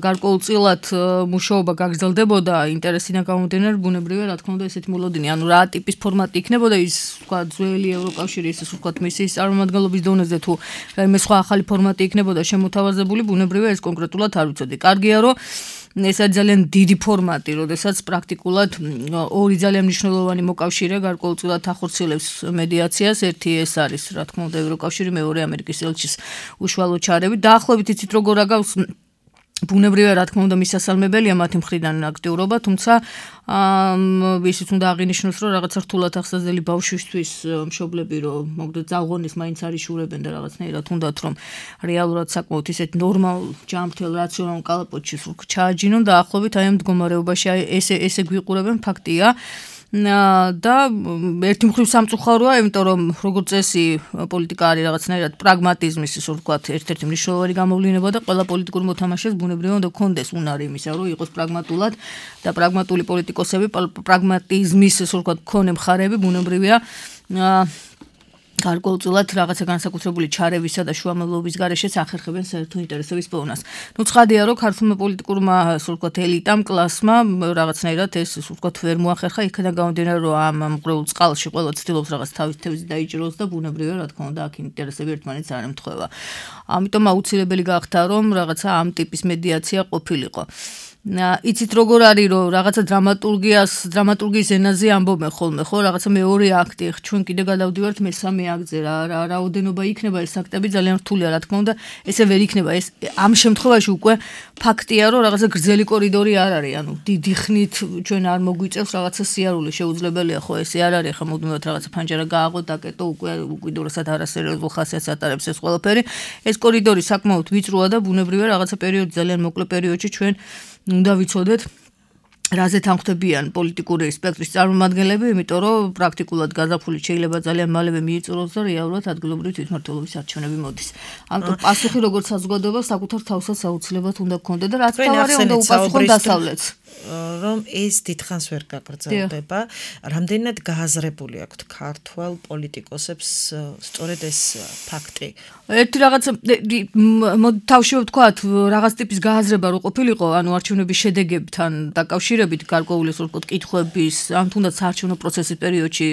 გარკვეულწილად მუშაობა გაგრძელდებოდა, ინტერესინა გამომდინარე, ბუნებრივია, რა თქმა უნდა, ესეთი მოლოდინი, ანუ რა ტიპის ფორმატი იქნებოდა ის, თქვა, ძველი ევროკავშირის, ისე ვთქვათ, მისიის წარმომადგენლობის დონეზე თუ რაიმე სხვა ახალი ფორმატი იქნებოდა შემოთავაზებული, ბუნებრივია, ეს კონკრეტულად არ ვიცოდი. კარგია, რომ ეს არის ძალიან დიდი ფორმატი, როდესაც პრაქტიკულად ორი ძალიან მნიშვნელოვანი მოკავშირე გარკვეულწილად ახორციელებს მედიაციას. ერთი ეს არის, რა თქმა უნდა, ევროკავშირი, მეორე ამერიკის ელჩის უშუალო ჩარევით. დაახლოებით იცით, როგორ აგავს ბუნებრივია, რა თქმა უნდა, მისასალმებელია მათი მხრიდან აქტიურობა, თუმცა ისიც უნდა აღინიშნოს, რომ რაღაცა რთულად ახსოვსდელი ბავშვისთვის მშობლები, რომ მოგდეთ ზაღონის მაინც არიშურებენ და რაღაცნაირად უნდათ, რომ რეალურად საკმაოდ ისეთ ნორმალ ჯანმრთელ რაციონალურ კალაპოტში ჩააჯინონ და ახლობით აი ამ მდგომარეობაში ესე გვიყურებენ, ფაქტია. და ერთი მხრივ სამწუხაროა, იმიტომ რომ როგორც წესი პოლიტიკა არის რაღაცნაირად პრაგმატიზმის, ისე ვთქვათ, ერთ-ერთი მნიშვნელოვანი გამოვლინება და ყველა პოლიტიკურ მოთამაშეს ბუნებრივია უნდა გქონდეს უნარი იმისა, რომ იყოს პრაგმატულად და პრაგმატული პოლიტიკოსები, პრაგმატიზმის, ისე ვთქვათ, მქონე მხარეები ბუნებრივია გარკვეულწილად რაღაცა განსაკუთრებული ჩარევისა და შუამავლობის გარეშეც ახერხებენ საერთო ინტერესების პოვნას. ცხვადია, რომ ქართულმა პოლიტიკურმა, ასე ვთქვათ, ელიტამ, კლასმა რაღაცნაირად ეს, ასე ვთქვათ, ვერ მოახერხა, იქიდან გამომდინარე, რომ ამ მღრეულ წყალში ყველა ცდილობს რაღაც თავის თევზი დაიჭიროს და ბუნებრივია, რა თქმა უნდა, აქ ინტერესები ერთმანეთს არ ემთხვევა. ამიტომ აუცილებელი გახდა, რომ რაღაცა ამ ტიპის მედიაცია ყოფილიყო. იცით როგორ არის, რომ რაღაცა დრამატურგიის ენაზე ამბობენ ხოლმე, ხო, რაღაცა მეორე აქტი, ჩვენ კიდე გადავდივართ მესამე აქტზე, რა რაოდენობა იქნება ეს აქტები ძალიან რთულია, რა თქმა უნდა, ესე ვერ იქნება. ეს ამ შემთხვევაში უკვე ფაქტია, რომ რაღაცა გრძელი კორიდორი არ არის, ანუ დიდი ხნით ჩვენ არ მოგვიწევს რაღაცა სიარული, შეუძლებელია, ხო, ესე არ არის, ხა მუდმივად რაღაცა ფანჯარა გააღო, დაკეტო, უკვე უკიდურესად არასერიოზულ ხასიათს ატარებს ეს ყველაფერი. ეს კორიდორი საკმაოდ ვიწროა და ბუნებრივია რაღაცა პერიოდი, ძალიან მოკლე პერიოდში ჩვენ უნდა ვიცოდეთ რაზე თანხმდებიან პოლიტიკური სპექტრის წარმომადგენლები, იმიტომ რომ პრაქტიკულად გაზაფხული შეიძლება ძალიან მალევე მიიწუროს და რეალურად ადგილობრივი თვითმმართველობის არჩევნები მოდის. ამიტომ პასუხი როგორც საზოგადოება საკუთარ თავსაც აუცილებლად უნდა გქონდეს და რაც თავარი უნდა უპასუხონ დასავლეთს. რომ ეს დიდხანს ვერ გაგრძელდება, რამდენად გააზრებული აქვთ ქართველ პოლიტიკოსებს სწორედ ეს ფაქტი. ერთი რაღაცა თავში ვთქვათ, რაღაც ტიპის გააზრება რო ყოფილიყო, ანუ არჩევნების შედეგებთან დაკავშირებით გარკვეული ვთქვათ კითხვების, ამ თუნდაც საარჩევნო პროცესის პერიოდში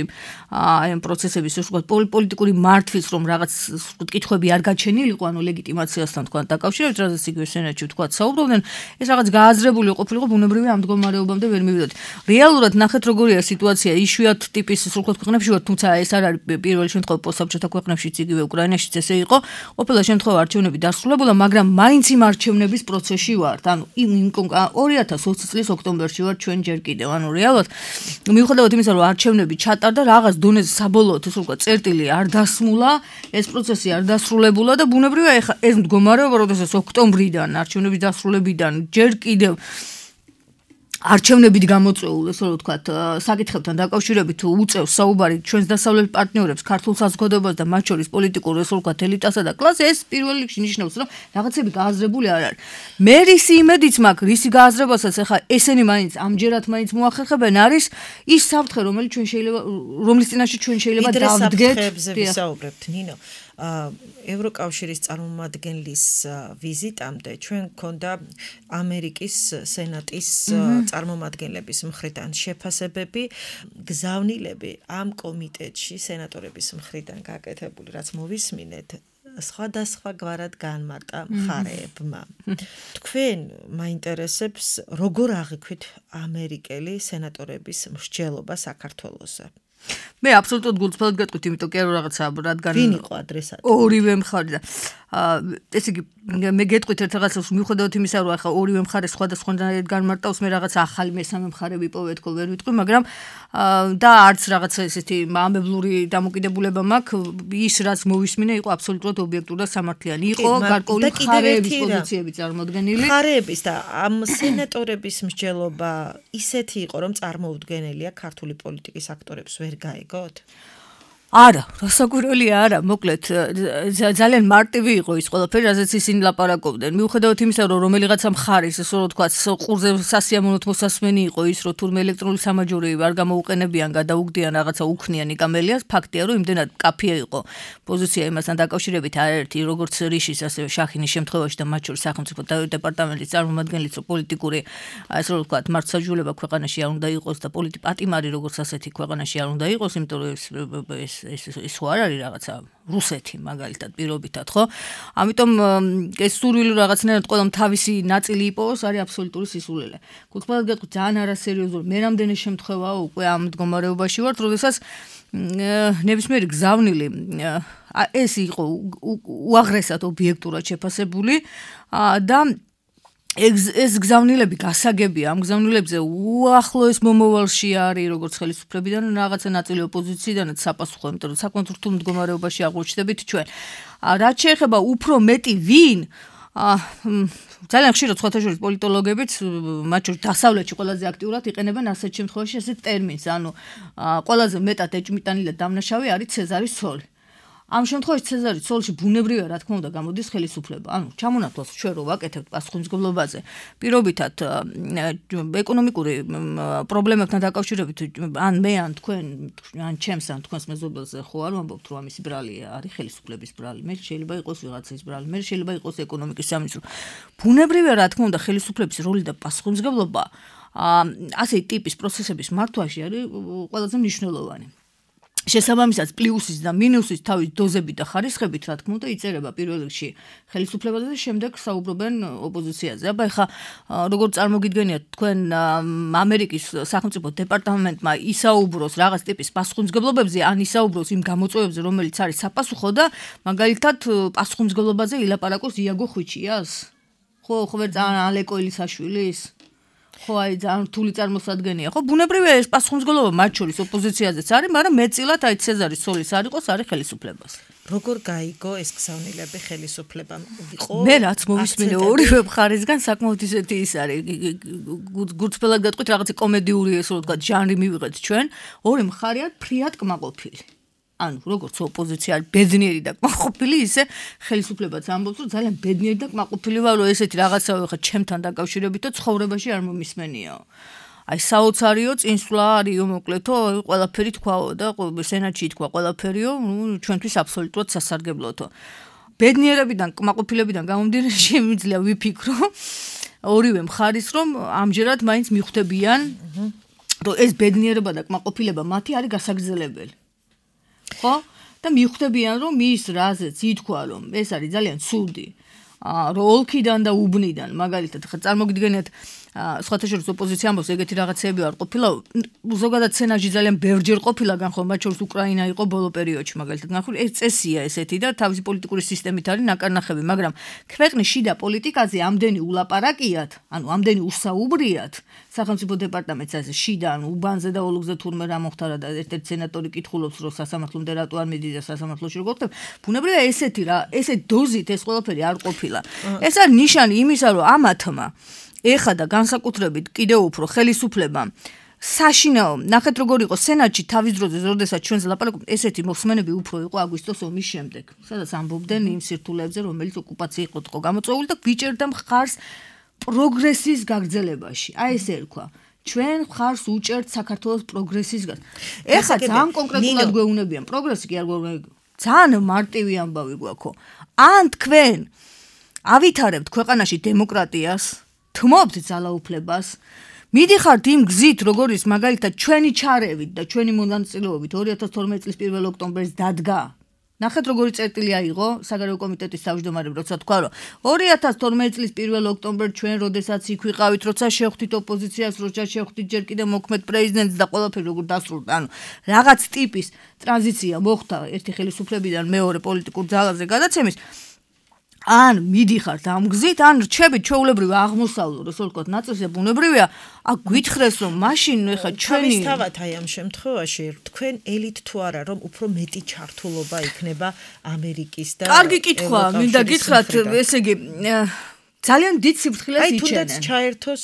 აი ამ პროცესების ვთქვათ პოლიტიკური მართვის რომ რაღაც ვთქვათ კითხვები არ გაჩენილიყო, ანუ ლეგიტიმაციასთან თქვა დაკავშირებით, რაზეც იგივე სენატში ვთქვათ საუბრობდნენ, ეს რაღაც გააზრებული ყოფილიყო ბუნებრივია ამ მდგომარეობამდე ვერ მივიდოდ. რეალურად ნახეთ როგორია სიტუაცია, იშვიათ ტიპის ვთქვათ ქვეყნებში ვარ, თუმცა ეს არ არის პირველი შემთხვევა პოსტსაბჭოთა ქვეყნებშიც იგივე უკრაინაშიც ესე იყო. ყოფილა შემთხვევა არჩევნები დასრულებულა, მაგრამ მაინც იმ არჩევნების პროცესში ვართ. ანუ 2020 წლის ოქტომბერში ვარ ჩვენ ჯერ კიდევ. ანუ რეალურად მიუხედავად იმისა, რომ არჩევნები ჩატარდა, რაღაც დონეზე საბოლოოდ ეს უკვე წერტილი არ დასმულა, ეს პროცესი არ დასრულებულა და ბუნებრივია ეხა ეს მდგომარეობა, როდესაც ოქტომბრიდან არჩევნების დასრულებიდან ჯერ კიდევ არჩევნებით გამოწვეულ, ესე რომ ვთქვათ, საკითხებთან დაკავშირებით უწევს საუბარი ჩვენს დასავლეთ პარტნიორებს, ქართულ საზოგადოებას და მათ შორის პოლიტიკურ, ესე რომ ვთქვათ, ელიტასა და კლასს, ეს პირველ რიგში ნიშნავს, რომ რაღაცები გააზრებული არ არის. მე რისი იმედიც მაქვს, რისი გააზრებასაც ახლა ესენი მაინც ამჯერად მაინც მოახერხებენ, არის ის საფრთხე, რომელიც რომლის წინაშე ჩვენ შეიძლება დავდგეთ. ვისაუბრებთ, ნინო. ევროკავშირის წარმომადგენლის ვიზიტამდე ჩვენ გქონდა ამერიკის სენატის წარმომადგენლების მხრიდან შეფასებები, გზავნილები ამ კომიტეტში სენატორების მხრიდან გაკეთებული, რაც მოვისმინეთ, სხვადასხვა გვარად განმარტა მხარეებმა. თქვენ მაინტერესებს, როგორ აღიქვით ამერიკელი სენატორების მსჯელობა საქართველოსზე? მე აბსოლუტურად გულწრფელად გეტყვით, იმიტომ კი არა რაღაცა, რადგან ვინ იყო ადრესატი? ორივე მხარე და ესე იგი მე გეტყვით ერთ რაღაცას მიუხედავად იმისა, რომ ახლა ორივე მხარე სხვადასხვანაირად განმარტავს, მე რაღაცა ახალი მესამე მხარე ვიპოვე თქო ვერ ვიტყვი, მაგრამ და არც რაღაცა ესეთი ამბებლური დამოკიდებულება მაქვს, ის რაც მოვისმინე იყო აბსოლუტურად ობიექტური და სამართლიანი. იყო გარკვეული მხარეების პოზიციები წარმოდგენილი. მხარეების და ამ სენატორების მსჯელობა ისეთი იყო, რომ წარმოუდგენელია ქართული პოლიტიკის აქტორებს ვერ გაიგოთ? არა, რასაკვირველია არა, მოკლედ ძალიან მარტივი იყო ის ყველაფერი, რაზეც ისინი ლაპარაკობდნენ. მიუხედავად იმისა, რომ რომელიღაცა მხარის, ესე რომ ვთქვათ, ყურზე სასიამოვნოდ მოსასმენი იყო ის, რომ თურმე ელექტრონული სამაჯურები არ გამოუყენებიან, გადაუგდიან რაღაცა უქნიანი კამელიას, ფაქტია, რომ იმდენად კაფია იყო პოზიცია იმასთან დაკავშირებით არაერთი, როგორც რიშის, ასევე შახინის შემთხვევაში და მათ შორის სახელმწიფო დეპარტამენტის წარმომადგენლიც, რომ პოლიტიკური, ესე რომ ვთქვათ, მართლმსაჯულება ქვეყანაში არ უნდა იყოს და პატიმარი როგორც ასეთი ქვეყანაში არ უნდა იყოს, იმიტომ რომ ეს ხო არ არის რაღაცა რუსეთი მაგალითად პირობითად, ხო? ამიტომ ეს სურვილი რაღაცნაირად ყველამ თავისი ნაწილი იპოვოს, არის აბსოლუტური სისულელე. გულწრფელად გეტყვით, ძალიან არასერიოზული. მე რამდენი შემთხვევაა უკვე ამ მდგომარეობაში ვარ, როდესაც ნებისმიერი გზავნილი ეს იყო უაღრესად ობიექტურად შეფასებული და ეს გზავნილები გასაგებია, ამ გზავნილებზე უახლოეს მომავალში არის როგორც ხელისუფლებიდან, რაღაცა ნაწილი ოპოზიციიდანაც საპასუხო, იმიტომ რომ საკმაოდ რთულ მდგომარეობაში აღმოჩნდებით ჩვენ. რაც შეეხება უფრო მეტი ვინ, ძალიან ხშირად სხვათა შორის პოლიტოლოგებიც, მათ შორის დასავლეთში ყველაზე აქტიურად იყენებენ ასეთ შემთხვევაში ასეთ ტერმინს, ანუ ყველაზე მეტად ეჭმიტანილად დამნაშავე არის ცეზარის ცოლი. ამ შემთხვევაში ცეზარის ცოლში ბუნებრივია, რა თქმა უნდა, გამოდის ხელისუფლება. ანუ ჩამონათვალს ჩვენ რო ვაკეთებთ პასუხისმგებლობაზე, პირობითად ეკონომიკური პრობლემებთან დაკავშირებით, ან მე ან თქვენ, ან ჩემს ან თქვენს მეზობელზე ხო არ ვამბობთ, რომ ამისი ბრალი არის ხელისუფლების ბრალი. მე შეიძლება იყოს ვიღაცის ბრალი, მე შეიძლება იყოს ეკონომიკის სამინისტრო. ბუნებრივია, რა თქმა უნდა, ხელისუფლების როლი და პასუხისმგებლობა ასეთი ტიპის პროცესების მართვაში არის ყველაზე მნიშვნელოვანი. შესაბამისად პლუსის და მინუსის თავის დოზებით და ხარისხებით, რა თქმა უნდა, იწერება პირველ რიგში ხელისუფლებაზე და შემდეგ საუბრობენ ოპოზიციაზე. აბა ეხა როგორც წარმოგიდგენიათ, თქვენ ამერიკის სახელმწიფო დეპარტამენტმა ისაუბროს რაღაც ტიპის პასუხისმგებლობებზე, ან ისაუბროს იმ გამოწვევებზე, რომელიც არის sapasukho და მაგალითად პასუხისმგებლობაზე ილაპარაკოს იაგო ხვიჩიას? ხო ვერ ალეკო ელისაშვილის? ხო აი ძალიან რთული წარმოსადგენია. ხო ბუნებრივია ეს პასუხისმგებლობა მათ შორის ოპოზიციაზეც არის, მაგრამ მეტწილად აი ცეზარის ცოლის არ იყოს, არის ხელისუფლებას. როგორ გაიგო ეს გზავნილები ხელისუფლებამ? იყო მე რაც მოვისმინე ორივე მხარისგან საკმაოდ ისეთი ის არის. გულწრფელად გეტყვით რაღაცა კომედიური ესე რომ ვთქვა ჟანრი მივიღეთ ჩვენ, ორი მხარე არის ფრიად კმაყოფილი. ანუ როგორც ოპოზიცია არის ბედნიერი და კმაყოფილი, ისე ხელისუფლებაც ამბობს, რომ ძალიან ბედნიერი და კმაყოფილი ვარ, რომ ესეთი რაღაცა ხა ჩემთან დაკავშირებით და ცხოვრებაში არ მომისმენიაო. აი საოცარიო წინსვლა არისო მოკლედო, ყველაფერი თქვაო და სენატში თქვა ყველაფერიო, ჩვენთვის აბსოლუტურად სასარგებლოთო. ბედნიერებიდან, კმაყოფილებიდან გამომდინარე შემიძლია ვიფიქრო ორივე მხარის, რომ ამჯერად მაინც მიხვდებიან, რომ ეს ბედნიერება და კმაყოფილება მათი არის გასაგრძელებელი. ხო? და მიხვდებიან, რომ მის რაზეც ითქვა, რომ ეს არის ძალიან ცუდი, რომ ოლქიდან და უბნიდან, მაგალითად, ხა წარმოგიდგენიათ, სხვათა შორის ოპოზიცია ამბობს, ეგეთი რაღაცეები არ ყოფილა, ზოგადად სენატში ძალიან ბევრჯერ ყოფილა განხილვა, მათ შორის უკრაინა იყო ბოლო პერიოდში, მაგალითად, განხილვა, ეს წესია ესეთი და თავისი პოლიტიკური სისტემით არის ნაკარნახები, მაგრამ ქვეყნის შიდა პოლიტიკაზე ამდენი ულაპარაკიათ, ანუ ამდენი უსაუბრიათ, სახელმწიფო დეპარტამენტს ასე შიდა, ანუ უბანზე და ოლქზე თურმე რა მოხდა და ერთ-ერთი სენატორი კითხულობს, რომ სასამართლომდე რატო არ მიდის და სასამართლოში როგორ ხდება. ბუნებრივია ესეთი რა, ესეთ დოზით ეს ყველაფერი არ ყოფილა. ეს არის ნიშანი იმისა, რომ ამათმა ეხა და განსაკუთრებით კიდევ უფრო ხელისუფლებამ საშინაო, ნახეთ როგორ იყო სენატში თავის დროზე, როდესაც ჩვენზე ლაპარაკობთ, ესეთი მოხსმენები უფრო იყო აგვისტოს ომის შემდეგ, სადაც ამბობდნენ იმ სირთულეებზე, რომელიც ოკუპაციით იყო გამოწვეული და გვიჭერდა მხარს პროგრესის გაგრძელებაში. აი ესე ერქვა. ჩვენ მხარს უჭერთ საქართველოს პროგრესის გაგრძელებაში. ეხა ძალიან კონკრეტულად გვეუბნებიან, პროგრესი კი არ გვეუბნებიან. ძალიან მარტივი ამბავი გვაქვს. ან თქვენ ავითარებთ ქვეყანაში დემოკრატიას, თმობთ ძალაუფლებას, მიდიხართ იმ გზით, როგორიც მაგალითად ჩვენი ჩარევით და ჩვენი მონაწილეობით 2012 წლის 1 ოქტომბერს დადგა. ნახეთ როგორი წერტილი აიღო საგარეო კომიტეტის თავმჯდომარემ, როცა თქვა, რომ 2012 წლის 1 ოქტომბერს ჩვენ როდესაც იქ ვიყავით, როცა შევხვდით ოპოზიციას, როცა შევხვდით ჯერ კიდევ მოქმედ პრეზიდენტს და ყველაფერი როგორ დასრულდა, ანუ რაღაც ტიპის ტრანზიცია მოხდა ერთი ხელისუფლებიდან მეორე პოლიტიკურ ძალაზე გადაცემის. ან მიდიხართ ამ გზით, ან რჩებით ჩვეულებრივ აღმოსავლურ, ესე ვთქვათ, ნაწილზე ბუნებრივია, აქ გითხრეს, რომ მაშინ ეხა ჩვენი თავისთავად აი ამ შემთხვევაში თქვენ ელით თუ არა, რომ უფრო მეტი ჩართულობა იქნება ამერიკის და კარგი კითხვა, მინდა გითხრათ, ესე იგი ძალიან დიდ სიფრთხილეს იჩენენ. აი თუნდაც ჩაერთოს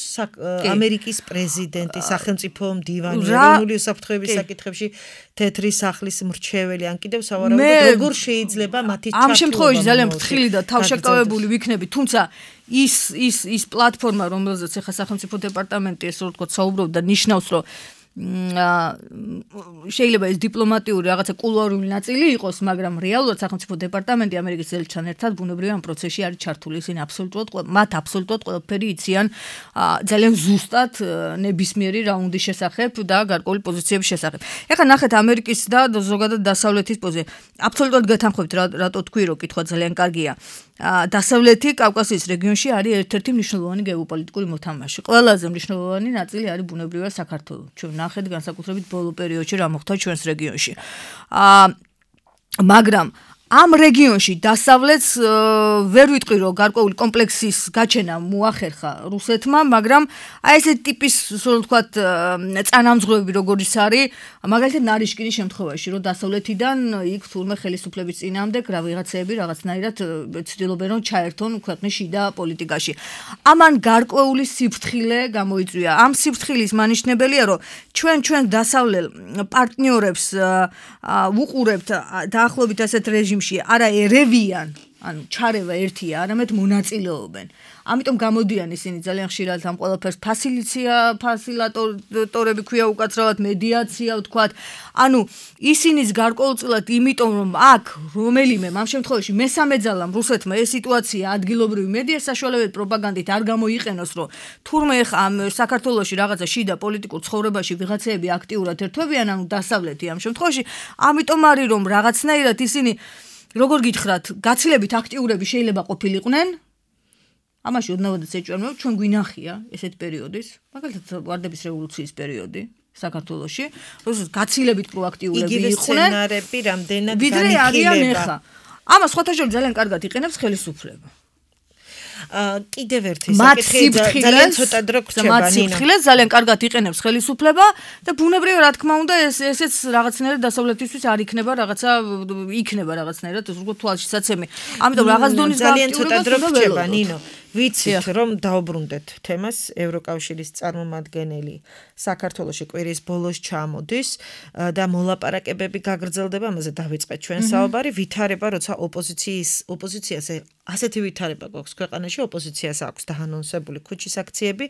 ამერიკის პრეზიდენტი, სახელმწიფო მდივანი, ეროვნული უსაფრთხოების საკითხებში თეთრი სახლის მრჩეველი, ან კიდევ სავარაუდოდ როგორ შეიძლება მათი ჩართულობა. ამ შემთხვევაში ძალიან ფრთხილი და თავშეკავებული ვიქნები, თუმცა ის პლატფორმა, რომელზეც ახლა სახელმწიფო დეპარტამენტი ესე ვთქვათ საუბრობდა, ნიშნავს, რომ შეიძლება ეს დიპლომატიური რაღაცა კულუარული ნაწილი იყოს, მაგრამ რეალურად სახელმწიფო დეპარტამენტი ამერიკის ელჩთან ერთად ბუნებრივია ამ პროცესში არის ჩართული. ისინი მათ აბსოლუტურად ყველაფერი იციან ძალიან ზუსტად ნებისმიერი რაუნდის შესახებ და გარკვეული პოზიციების შესახებ. ეხლა ნახეთ ამერიკის და ზოგადად დასავლეთის პოზიცია. აბსოლუტურად გეთანხმებით, რატო თქვი, რომ კითხვა ძალიან კარგია. დასავლეთი კავკასიის რეგიონში არის ერთ-ერთი მნიშვნელოვანი გეოპოლიტიკური მოთამაშე. ყველაზე მნიშვნელოვანი ნაწილი არის ბუნებრივია საქართველო. ჩვენ ნახეთ განსაკუთრებით ბოლო პერიოდში რა მოხდა ჩვენს რეგიონში. მაგრამ ამ რეგიონში დასავლეთს ვერ ვიტყვი რომ გარკვეული კომპლექსის გაჩენა მოახერხა რუსეთმა, მაგრამ აი ესეთი ტიპის ისე ვთქვათ წანამძღვრები როგორიც არის, მაგალითად ნარიშკინის შემთხვევაში, რომ დასავლეთიდან იქ თურმე ხელისუფლების წინამდე რა ვიღაცები რაღაცნაირად ცდილობენ რომ ჩაერთონ ქვეყნის შიდა პოლიტიკაში. ამან გარკვეული სიფრთხილე გამოიწვია. ამ სიფრთხილის მანიშნებელია, რომ ჩვენ დასავლელ პარტნიორებს ვუყურებთ დაახლოებით ასეთ რეჟიმში არა ერევიან, ანუ ჩარევა ერთია, არამედ მონაწილეობენ. ამიტომ გამოდიან ისინი ძალიან ხშირად ამ ყველაფერს ფასილატორები ქვია უკაცრავად მედიაცია ვთქვათ. ანუ ისინიც გარკვეულწილად იმიტომ რომ აქ რომელიმე ამ შემთხვევაში მესამე ძალამ რუსეთმა ეს სიტუაცია ადგილობრივი მედია საშუალებით პროპაგანდით არ გამოიყენოს, რომ თურმე ახლა ამ საქართველოში რაღაცა შიდა პოლიტიკურ ცხოვრებაში ვიღაცები აქტიურად ერთვებიან, ანუ დასავლეთი ამ შემთხვევაში, ამიტომ არის რომ რაღაცნაირად ისინი როგორ გითხრათ, გაცილებით აქტიურები შეიძლება ყოფილიყვნენ. ამაში ოდნავადაც ეჭვმევა, ჩვენ გვინახია ესეთ პერიოდის, მაგალითად ვარდების რევოლუციის პერიოდი საქართველოში, როდესაც გაცილებით პროაქტიურები იყვნენ. იგივე სცენარები რამდენად განიხილება. ამას სხვათა შორის ძალიან კარგად იყენებს ხელისუფლება. კიდევ ერთი საკითხი ძალიან ცოტა დრო გრჩება ნინო. ძალიან კარგად იყენებს ხელისუფლება და ბუნებრივია რა თქმა უნდა ესეც რაღაცნაირად დასავლეთისთვის არ იქნება რაღაცნაირად როგორ თვალშისაცემი. ამიტომ რაღაც დონის ძალიან ცოტა დრო გრჩება ნინო. ვიცით რომ დაუბრუნდეთ თემას ევროკავშირის წარმომადგენელი საქართველოში კვირის ბოლოს ჩამოდის და მოლაპარაკებები გაგრძელდება, ამაზე დავიწყეთ ჩვენ საუბარი, ვითარება როცა ოპოზიციას ასეთი ვითარება გვაქვს ქვეყანაში, ოპოზიციას აქვს დაანონსებული ქუჩის აქციები,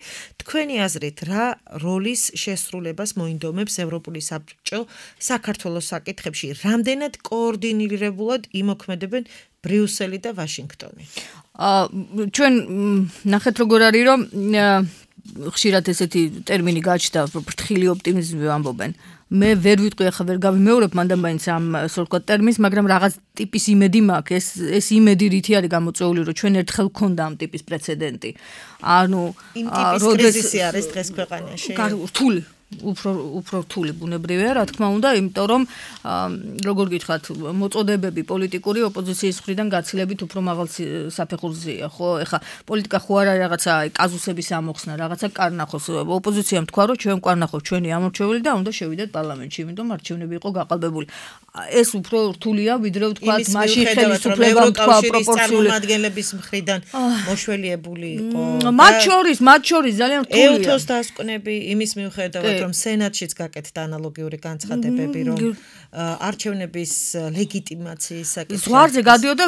თქვენი აზრით რა როლის შესრულებას მოინდომებს ევროპული საბჭო საქართველოს საკითხებში, რამდენად კოორდინირებულად იმოქმედებენ ბრიუსელი და ვაშინგტონი? ჩვენ ნახეთ როგორ არის რომ ხშირად ესეთი ტერმინი გაჩნდა ფრთხილი ოპტიმიზმი ამბობენ. მე ვერ ვიტყვი ახლა ვერ გავიმეორებ მანდამაინც ამ ასე ვთქვათ ტერმინს, მაგრამ რაღაც ტიპის იმედი მაქვს, ეს იმედი რითი არის გამოწვეული, რომ ჩვენ ერთხელ გქონდა ამ ტიპის პრეცედენტი. ანუ იმ ტიპის კრიზისი არის დღეს ქვეყანაში. რთული უფრო რთული ბუნებრივია, რა თქმა უნდა, იმიტომ რომ როგორ გითხრათ, მოწოდებები პოლიტიკური ოპოზიციის მხრიდან გაცილებით უფრო მაღალ საფეხურზეა, ხო? ეხლა პოლიტიკა ხო არ არის რაღაცა კაზუსების ამოხსნა, რაღაცა კარნახოს. ოპოზიციამ თქვა, რომ ჩვენ კარნახობს ჩვენი ამორჩეველი და უნდა შევიდეთ პარლამენტში, იმიტომ არჩევნები იყო გაყალბებული. ეს უფრო რთულია, ვიდრე ვთქვათ, მაშინ ხელისუფლებამ თქვა პროპორციული წარმომადგენლების მხრიდან მოშველიებული იყო. მათ შორის ძალიან რთულია. ეუთოს დასკვნები იმის მიუხედავად რომ სენატშიც გაკეთდა ანალოგიური განცხადებები, რომ არჩევნების ლეგიტიმაციის საკითხი ზღვარზე გადიოდა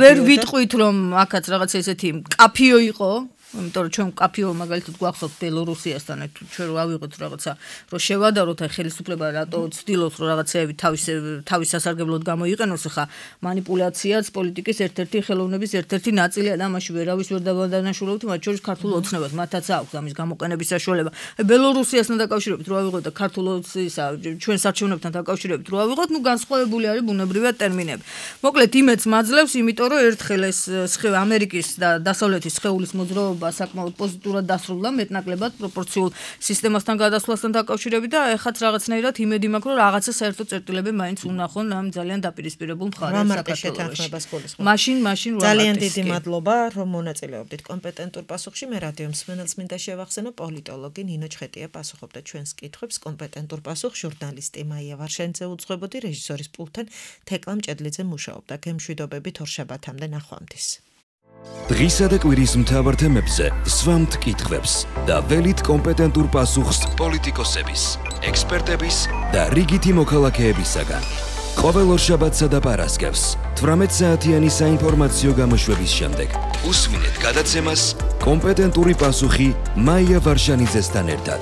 ვერ ვიტყვით რომ აქაც რაღაც ესეთი კაფიო იყო, იმიტომ რომ ჩვენ კაფიო მაგალითად გვახსოვთ ბელორუსიასთან ჩვენ რო ავიღოთ რაღაცა რომ შევადაროთ აი ხელისუფლება რატო ცდილობს რომ რაღაცეები თავის სასარგებლოდ გამოიყენოს, ხა მანიპულაციაც პოლიტიკის ერთ-ერთი ხელოვნების ერთ-ერთი ნაწილია და ამაში ვერავის ვერ დავადანაშაულებთ, მათ შორის ქართულ ოცნებას, მათაც აქვს ამის გამოყენების საშუალება. ბელორუსიასთან დაკავშირებით რო ავიღოთ და ქართულ ოცნებისა ჩვენ საჩვენებთან დაკავშირებით რო ავიღოთ, ნუ განსხვავებული არის ბუნებრივად ტერმინები. მოკლედ იმედს მაძლევს, იმიტომ რომ ერთხელ ეს ამერიკის და დასავლეთის სხეულის მოძრაობა საკმაოდ პოზიტიურად დასრულდა მეტნაკლებად პროპორციულ სისტემასთან გადასვლასთან დაკავშირებით და ეხაც რაღაცნაირად იმედი მაქვს რომ რაღაცა საერთო წერტილები მაინც უნახონ ამ ძალიან დაპირისპირებულ მხარეს საქართველოში. მაშინ ძალიან დიდი მადლობა რომ მონაწილეობდით კომპეტენტურ პასუხში. მე რადიო მსმენელს მინდა შევახსენო პოლიტოლოგი ნინო ჩხეტია პასუხობდა ჩვენს კითხვებს. კომპეტენტურ პასუხს ჟურნალისტი მაია ვარშენიძე უძღვებოდი, რეჟისორის პულტთან თეკლა მჭედლიძე მუშაობდა. გემშვიდობებით ორშაბათამდე ნახვამდის. დღისა და კვირის მთავარ თემებზე სვამთ კითხვებს და ველით კომპეტენტურ პასუხს პოლიტიკოსების, ექსპერტების და რიგითი მოქალაქეებისაგან. ყოველ ორშაბათსა და პარასკევს 18 საათიანი საინფორმაციო გამოშვების შემდეგ უსმინეთ გადაცემას კომპეტენტური პასუხი მაია ვარშანიძესთან ერთად.